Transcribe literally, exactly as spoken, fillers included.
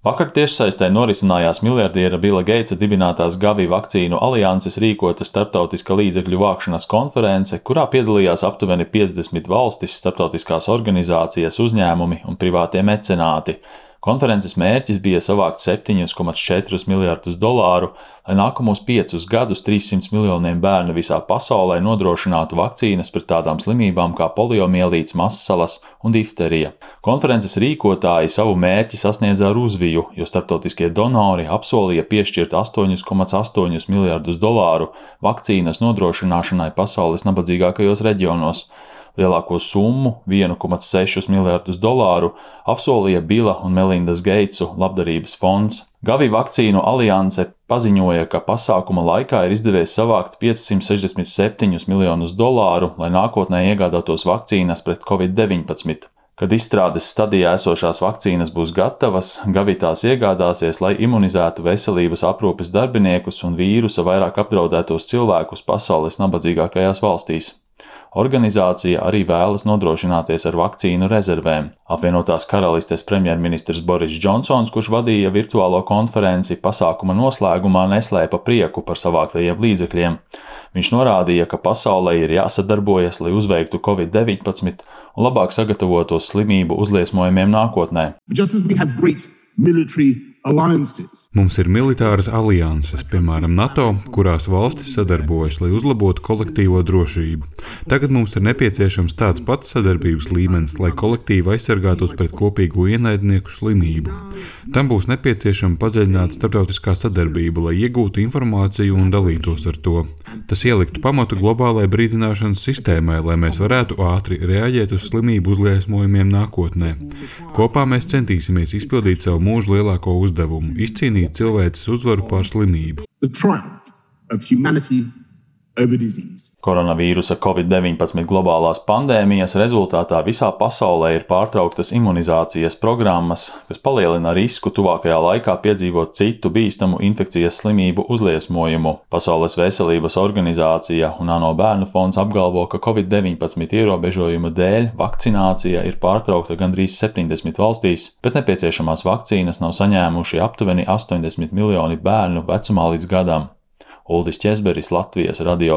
Vakar tiešsaistē norisinājās miljardiera Bila Geitsa dibinātās Gavi vakcīnu alianses rīkota starptautiska līdzekļu vākšanas konference, kurā piedalījās aptuveni piecdesmit valstis, starptautiskās organizācijas, uzņēmumi un privātie mecenāti. Konferences mērķis bija savākt septiņus komats četrus miljardus dolāru, lai nākamos piecus gadus trīssimtiem miljoniem bērnu visā pasaulē nodrošinātu vakcīnas pret tādām slimībām kā poliomielīts, massalas un difterija. Konferences rīkotāji savu mērķi sasniedza ar uzviju, jo starptautiskie donori apsolīja piešķirt astoņus komats astoņus miljardus dolāru vakcīnas nodrošināšanai pasaules nabadzīgākajos reģionos. Lielāko summu, vienu komats sešus miljardus dolāru, apsolīja Bila un Melindas Geitsu labdarības fonds. Gavi vakcīnu alianse paziņoja, ka pasākuma laikā ir izdevies savākt piecsimt sešdesmit septiņus miljonus dolāru, lai nākotnē iegādātos vakcīnas pret covid deviņpadsmit. Kad izstrādes stadijā esošās vakcīnas būs gatavas, Gavi tās iegādāsies, lai imunizētu veselības aprūpes darbiniekus un vīrusa vairāk apdraudētos cilvēkus pasaules nabadzīgākajās valstīs. Organizācija arī vēlas nodrošināties ar vakcīnu rezervēm. Apvienotās Karalistes premjerministrs Boris Džonsons, kurš vadīja virtuālo konferenci, pasākuma noslēgumā neslēpa prieku par savāktajiem līdzekļiem. Viņš norādīja, ka pasaulē ir jāsadarbojas, lai uzveiktu covid deviņpadsmit un labāk sagatavotos slimību uzliesmojumiem nākotnē. Mums ir militāras alianses, piemēram, NATO, kurās valstis sadarbojas, lai uzlabotu kolektīvo drošību. Tagad mums ir nepieciešams tāds pats sadarbības līmenis, lai kolektīvi aizsargātos pret kopīgo ienaidnieku slimību. Tam būs nepieciešama padziļināta starptautiskā sadarbība, lai iegūtu informāciju un dalītos ar to. Tas ieliktu pamatu globālai brīdināšanas sistēmai, lai mēs varētu ātri reaģēt uz slimību uzliesmojumiem nākotnē. Kopā mēs centīsimies izpildīt savu mūžu lielāko uzdevumu – izcīnīt cilvēces uzvaru pār slimību. Koronavīrusa covid deviņpadsmit globālās pandēmijas rezultātā visā pasaulē ir pārtrauktas imunizācijas programmas, kas palielina risku tuvākajā laikā piedzīvot citu bīstamu infekcijas slimību uzliesmojumu. Pasaules veselības organizācija un ANO bērnu fonds apgalvo, ka covid deviņpadsmit ierobežojumu dēļ vakcinācija ir pārtraukta gandrīz septiņdesmit valstīs, bet nepieciešamās vakcīnas nav saņēmuši aptuveni astoņdesmit miljoni bērnu vecumā līdz gadam. Uldis Ķezberis, Latvijas radio.